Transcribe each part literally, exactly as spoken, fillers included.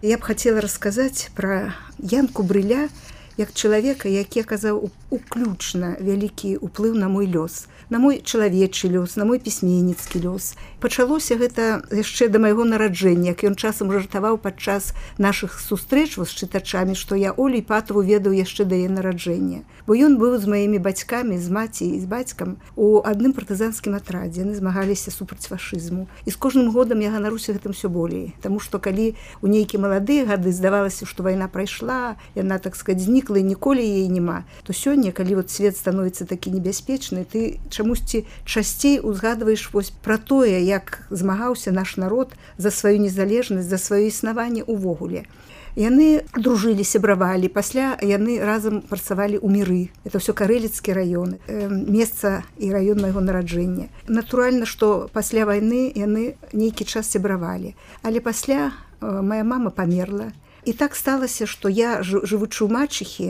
Я б хацела расказаць пра Янку Брыля як чалавека, які аказаў уключна вялікі ўплыў на мой лёс, на мой чалавечы лёс, на мой пісьменніцкі лёс. Пачалося гэта яшчэ да майго нараджэння, як ён часам жартаваў падчас нашых сустрэч з чытачамі, што я Олю Іпатаву ведаў яшчэ да яе нараджэння. Бо ён быў з маімі бацькамі, з маці і з бацькам у адным партызанскім атрадзе. Яны змагаліся супраць фашызму. І з кожным годам я ганаруся гэтым усё болей. Таму што калі у нейкія маладыя гады здавалася, што вайна прайшла, яна, так сказаць, знікла і ніколі яе няма, то сёння, калі вот свет становіцца такі небяспечны, ты чамусьці часцей узгадваеш вось пра тое, як змагаўся наш народ за сваю незалежнасць, за сваё існаванне ўвогуле. Яны дружылі, сябравалі, пасля яны разам працавалі ў міры. Это ўсё карэліцкі раён, месца і раён майго нараджэння. Натуральна, што пасля вайны яны нейкі час сябравалі. Але пасля моя мама памерла. І так сталася, што я, жывучы ў мачыхі,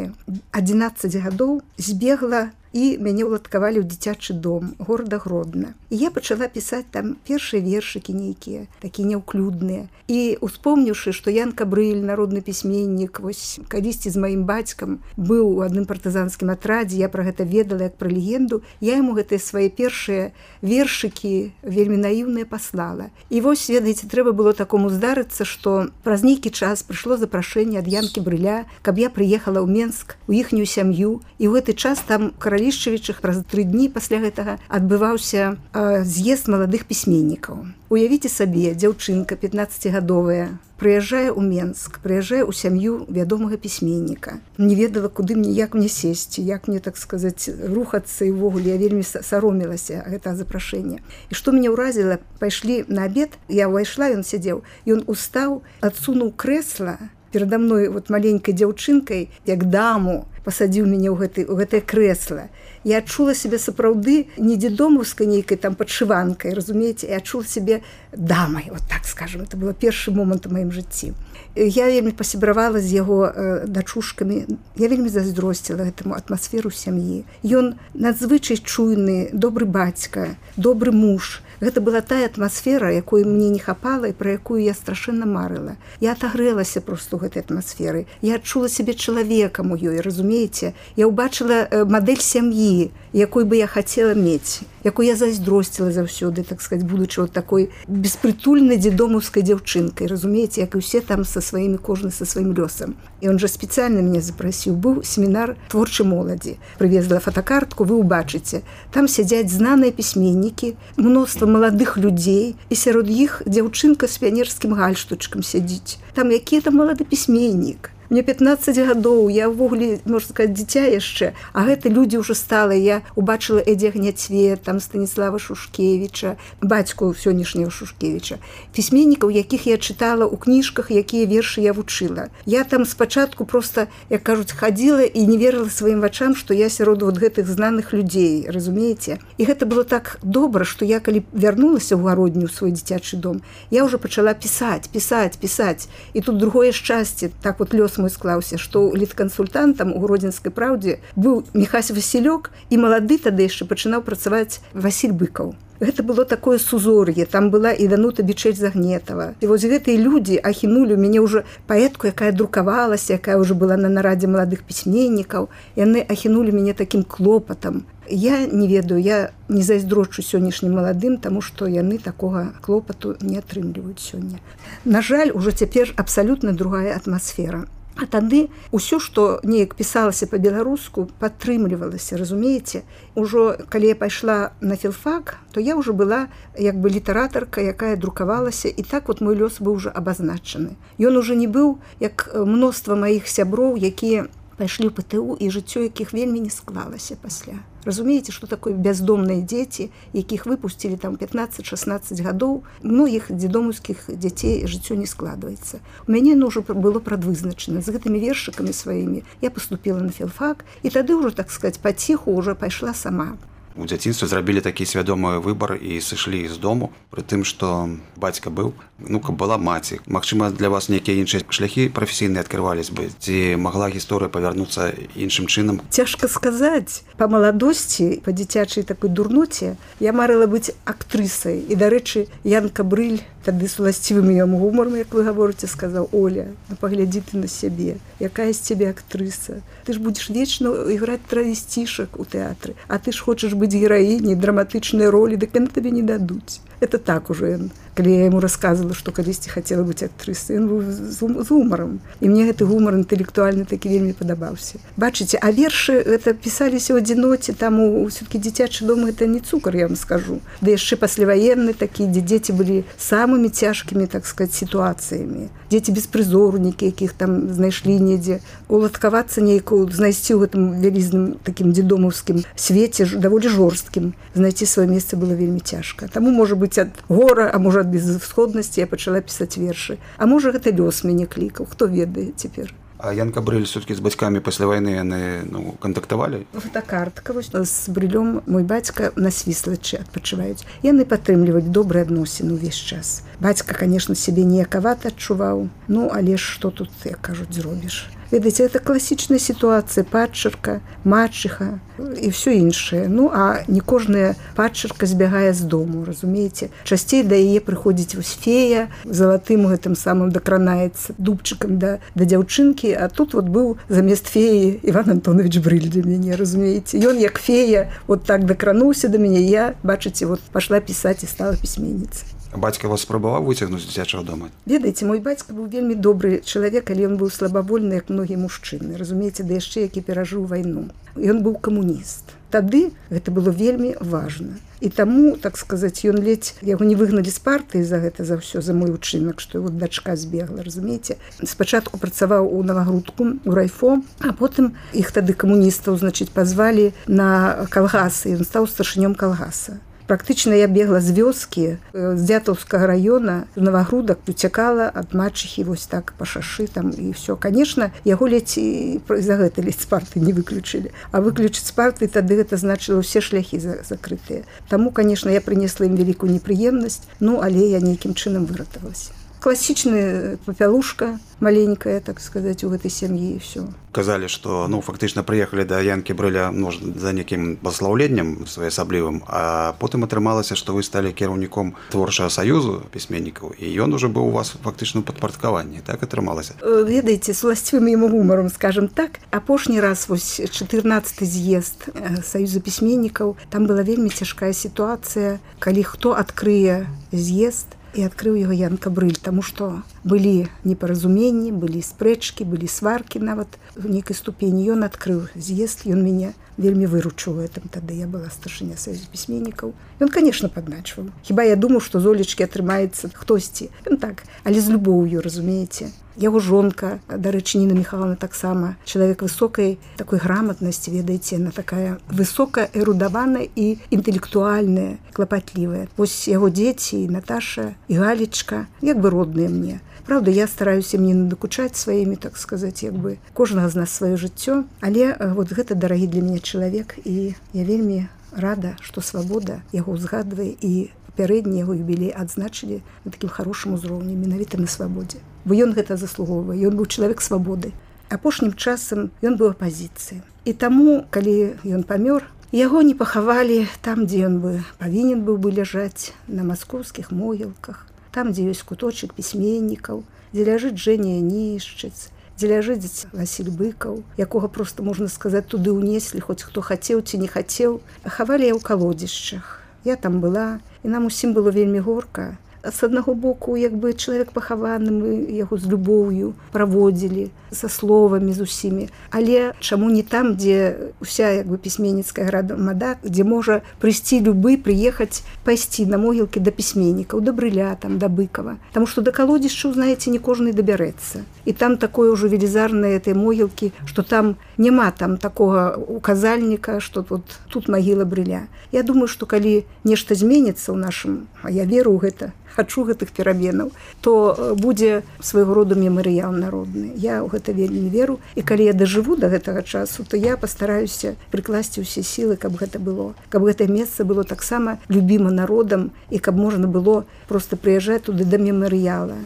адзінаццаць гадоў збегла і мяне ўладкавалі ў дзіцячы дом горада Гродна. І я пачала пісаць там першыя вершыкі нейкія, такія няўклюдныя. І успомніўшы, што Янка Брыль, народны пісьменнік, вось калісьці з маім бацькам быў у адным партызанскім атрадзе, я пра гэта ведала як пра легенду, я яму гэтыя свае першыя вершыкі вельмі наіўныя паслала. І вось, ведаеце, трэба было такому здарыцца, што праз нейкі час прыйшло запрашэнне ад Янкі Брыля, каб я прыехала ў Менск, у іхнюю сям'ю, і ў гэты час там Лішчавічах праз тры дні пасля гэтага адбываўся э, з'езд маладых пісьменнікаў. Уявіце сабе, дзяўчынка пятнаццацігадовая прыязджае ў Менск, прыязджае ў сям'ю вядомага пісьменніка. Не ведала, куды мне, як мне сесці, як мне, так сказаць, рухацца, і ўвогуле я вельмі саромілася гэтага запрашэння. І што мяне ўразіла, пайшлі на абед, я ўвайшла, ён сядзеў, ён устаў, адсунуў крэсла перада мной вот маленькай дзяўчынкай, як даму, пасадзіў мяне ў гэты, ў гэтае крэсла. Я адчула сябе сапраўды не дзедомаўскай нейкай там падшыванкай, разумееце, я адчула сябе дамай, вот так скажем, это было першы момант у маім жыцці. Я вельмі пасябравала з яго э, дачушкамі, я вельмі зайздросціла гэтаму атмасферу сям'і. Ён надзвычай чуйны, добры бацька, добры муж. Гэта была тая атмасфера, якой мне не хапала і пра якую я страшэнна марыла. Я атагрэлася проста ў гэтай атмасферы. Я адчула сябе чалавекам у ёй, разумееце? Я ўбачыла мадэль сям'і, якой бы я хацела мець, якой я зайздросціла заўсёды, так сказаць, будучы вот такой беспрытульнай дзедомаўскай дзяўчынкай, разумееце, як і ўсе там са сваімі, кожны са сваім лёсам. І он жа спецыяльна мяне запрасіў. Быў семінар творчай моладзі. Прывезла фотокартку, вы ўбачыце. Там сядзяць знаныя пісьменнікі, мноства маладых людзей, і сярод іх дзяўчынка з піянерскім гальштучкам сядзіць. Там які там малады пісьменнік. Мне пятнаццаць гадоў, я ўвогуле, можна сказаць, дзіця яшчэ, а гэта людзі ўжо стала. Я убачыла Эдзя Гняцвет, там Станіслава Шушкевіча, бацьку сённяшняга Шушкевіча, пісьменнікаў, якіх я чытала ў кніжках, якія вершы я вучыла. Я там спачатку проста, як кажуць, хадзіла і не верыла сваім вачам, што я сярод вот гэтых знаных людзей, разумееце? І гэта было так добра, што я, калі вярнулася ў гародню, ў свой дзіцячы дом, я ўжо пачала пісаць, пісаць, пісаць. І тут другое шчасце, так вот лёс мой склаўся, што літкансультантам у Гродзенскай праўдзе быў Міхась Васілёк, і малады тады яшчэ пачынаў працаваць Васіль Быкаў. Гэта было такое сузор'е, там была і Данута Бичель-Загнетава. І вось гэтыя людзі ахінулі мяне ўжо паэтку, якая друкавалася, якая ўжо была на нарадзе маладых пісьменнікаў. Яны ахінулі мяне такім клопатам. Я не ведаю, я не зайздрочу сённяшнім маладым, таму што яны такога клопату не атрымліваюць сёння. На жаль, ужо цяпер абсалютна другая атмасфера. А тады ўсё, што неяк пісалася па-беларуску, падтрымлівалася, разумееце? Ужо, калі я пайшла на філфак, то я ўжо была як бы літаратарка, якая друкавалася, і так вот мой лёс быў уже абазначаны. Ён уже не быў, як мноства маіх сяброў, якія пайшлі ў ПТУ, і жыццё якіх вельмі не склалася пасля. Разумееце, што такое бяздомныя дзеці, якіх выпусцілі там пятнаццаць-шаснаццаць гадоў, многіх дзедомаўскіх дзяцей жыццё не складваецца. У мяне ну, ўжо было прадвызначана. З гэтымі вершыкамі сваімі я паступіла на філфак, і тады ўжо, так сказаць, паціху ўжо пайшла сама. у дзяцінстве зрабілі такі свядомы выбар і сышлі з дому, пры тым, што бацька быў, ну, каб была маці. Магчыма, для вас нейкія іншыя шляхі прафесійныя адкрывались бы, ці магла гісторыя павярнуцца іншым чынам? Цяжка сказаць. Па маладосці, па дзіцячай такой дурноце я марыла быць актрысай. І, дарэчы, Янка Брыль тады з уласцівым ім гумарам, як вы гаворыце, сказаў: Оля, ну паглядзі ты на сябе, якая з цябе актрыса. Ты ж будзеш вечна іграць травесцішак у тэатры, а ты ж хочаш быць гераіняй, драматычнай ролі, дык яны табе не дадуць. Это так уже ён. Калі я яму расказвала, што калісьці хацела быць актрысай, ён быў з гумарам. І мне гэты гумар інтэлектуальны такі вельмі падабаўся. Бачыце, а вершы гэта пісаліся ў адзіноце, там усё-такі дзіцячы дом гэта не цукар, я вам скажу. Да яшчэ пасляваенны такі, дзе дзеці былі самымі цяжкімі, так сказаць, сітуацыямі. Дзеці беспрызорнікі, якіх там знайшлі недзе. Уладкавацца нейкую, знайсці ў гэтым вялізным такім дзедомаўскім свеце, даволі жорсткім. Знайсці сваё месца было вельмі цяжка. Таму, можа быць, ад гора, а можа ад безысходнасці я пачала пісаць вершы. А можа, гэта лёс мяне клікаў, хто ведае цяпер. А Янка Брыль все-таки з бацькамі пасля вайны яны, ну, кантактавалі? Фотокартка. Вось з Брылём мой бацька на Свіслачы адпачываюць. Яны падтрымліваюць добрыя адносіны ўвесь час. Бацька, конечно, сябе ніякавата адчуваў, ну, але ж што тут, як кажуць, зробіш. Ведаеце, это класічная сітуацыя, падчарка, мачыха і ўсё іншае. Ну, а не кожная падчарка збягае з дому, разумееце? Часцей да яе прыходзіць вось фея, залатым гэтым самым дакранаецца дубчыкам да, да дзяўчынкі, а тут вот быў замест феі Іван Антонович Брыль для мяне, разумееце? Ён як фея вот так дакрануўся да мяне, я, бачыце, вот пашла пісаць і стала пісьменніцай. Бацька вас спрабаваў выцягнуць з дзіцячага дома? Ведаеце, мой бацька быў вельмі добры чалавек, але ён быў слабавольны, як многія мужчыны. Разумееце, да яшчэ які перажыў вайну. Ён быў камуніст. Тады гэта было вельмі важна. І таму, так сказаць, ён ледзь, яго не выгналі з партыі за гэта, за ўсё, за мой учынак, што вот дачка збегла, разумееце. Спачатку працаваў у Навагрудку, у райфо, а потым іх тады камуністаў, значыць, пазвалі на калгасы, ён стаў старшынём калгаса. Практычна я бегла з вёскі, з Дзятаўскага раёна, з Навагрудак, уцякала ад мачыхі вось так па шашы там і ўсё. Канешне, яго ледзь і за гэта ледзь з партыі не выключылі. А выключыць з партыі тады гэта значыла ўсе шляхі закрытыя. Таму, канешне, я прынесла ім вялікую непрыемнасць, ну, але я нейкім чынам выратавалася. Класічная папялушка, маленькая, так сказаць, у гэтай сям'і і ўсё. Казалі, што, ну, фактычна прыехалі да Янкі Брыля, можа, за некім паслаўленнем своеасаблівым, а потым атрымалася, што вы сталі кіраўніком творчага саюзу пісьменнікаў, і ён ужо быў у вас фактычна ў падпарадкаванні, так атрымалася? Ведаеце, з уласцівым яму гумарам, скажам так, апошні раз, вось, чатырнаццаты з'езд саюза пісьменнікаў, там была вельмі цяжкая сітуацыя, калі хто адкрые з'езд, і адкрыў яго Янка Брыль, таму што былі непаразуменні, былі спрэчкі, былі сваркі нават в нейкай ступені. Ён адкрыў з'езд, ён мяне вельмі выручыў у гэтым тады. Я была старшыня саюза пісьменнікаў. Ён, конечно, падначваў. Хіба я думаў, што з Олечкі атрымаецца хтосьці. Ён так, але з любоўю, разумееце. Яго жонка, дарэчы, Ніна Михайловна таксама, чалавек высокай такой граматнасці, ведаеце, она такая высока эрудаваная і інтэлектуальная, клапатлівая. Вось яго дзеці, і Наташа, і Галечка, як бы родныя мне. Правда, я стараюся мне надакучаць сваімі, так сказаць, як бы кожнага з нас сваё жыццё, але вот гэта дарагі для мяне чалавек, і я вельмі рада, што свабода яго ўзгадвае, і папярэдні яго юбілей адзначылі на такім хорошым узроўні, менавіта на свабодзе. Бо ён гэта заслугоўвае, ён быў чалавек свабоды. Апошнім часам ён быў апазіцыі. І таму, калі ён памёр, яго не пахавалі там, дзе ён бы павінен быў бы ляжаць, на маскоўскіх могілках, там, дзе ёсць куточак пісьменнікаў, дзе ляжыць Жэня Янішчыц, дзе ляжыць Васіль Быкаў, якога проста, можна сказаць, туды ўнеслі, хоць хто хацеў ці не хацеў. Хавалі я ў калодзішчах. Я там была, і нам усім было вельмі горка. З аднаго боку, як бы чалавек пахаваны, мы яго з любоўю праводзілі, са словамі з усімі. Але чаму не там, дзе ўся як бы пісьменніцкая грамада, дзе можа прыйсці любы, прыехаць, пайсці на могілкі да пісьменнікаў, да Брыля, там, да Быкава. Таму што да калодзішчаў, знаеце, не кожны дабярэцца. І там такое ўжо велізарнае этой могілкі, што там няма там такога указальніка, што вот тут магіла Брыля. Я думаю, што калі нешта зменіцца ў нашым, а я веру ў гэта, хачу гэтых пераменаў, то будзе свайго роду мемарыял народны. Я ў гэта вельмі веру, і калі я дажыву да гэтага часу, то я пастараюся прыкласці ўсе сілы, каб гэта было, каб гэтае месца было таксама любіма народам і каб можна было проста прыязджаць туды да мемарыяла.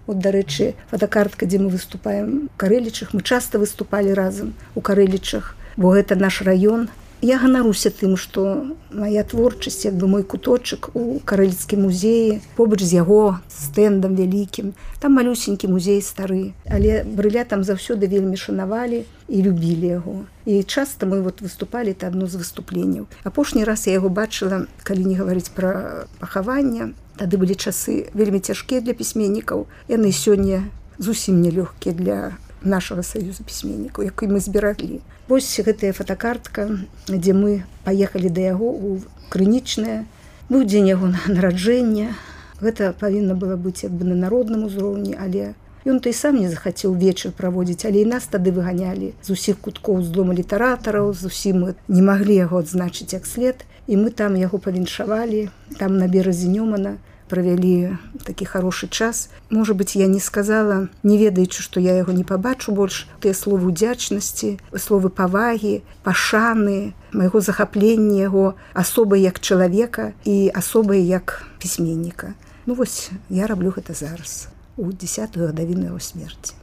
От, дарэчы, фотокартка, дзе мы выступаем у Карэлічах, мы часта выступалі разам у Карэлічах, бо гэта наш раён. Я ганаруся тым, што моя творчасць, як бы мой куточак у Карэліцкім музеі, побач з яго стэндам вялікім, там малюсенькі музей стары, але Брыля там заўсёды вельмі шанавалі і любілі яго. І часта мы вот выступалі, это адно з выступленняў. Апошні раз я яго бачыла, калі не гаварыць пра пахаванне, тады былі часы вельмі цяжкія для пісьменнікаў. Яны сёння зусім не лёгкія для нашага саюза пісьменнікаў, які мы збераглі. Вось гэтая фотокартка, дзе мы паехалі да яго ў Крынічнае. Быў дзень яго нараджэння. Гэта павінна было быць як бы на народным узроўні, але ён то і сам не захацеў вечар праводзіць, але і нас тады выганялі з усіх куткоў з дома літаратараў, зусім мы не маглі яго адзначыць як след. І мы там яго павіншавалі, там на беразе Нёмана правялі такі хорошы час. Можа быць, я не сказала, не ведаючы, што я яго не пабачу больш, тыя словы ўдзячнасці, словы павагі, пашаны, майго захаплення яго асобай як чалавека і асобай як пісьменніка. Ну вось, я раблю гэта зараз, у дзесятую гадавіну яго смерці.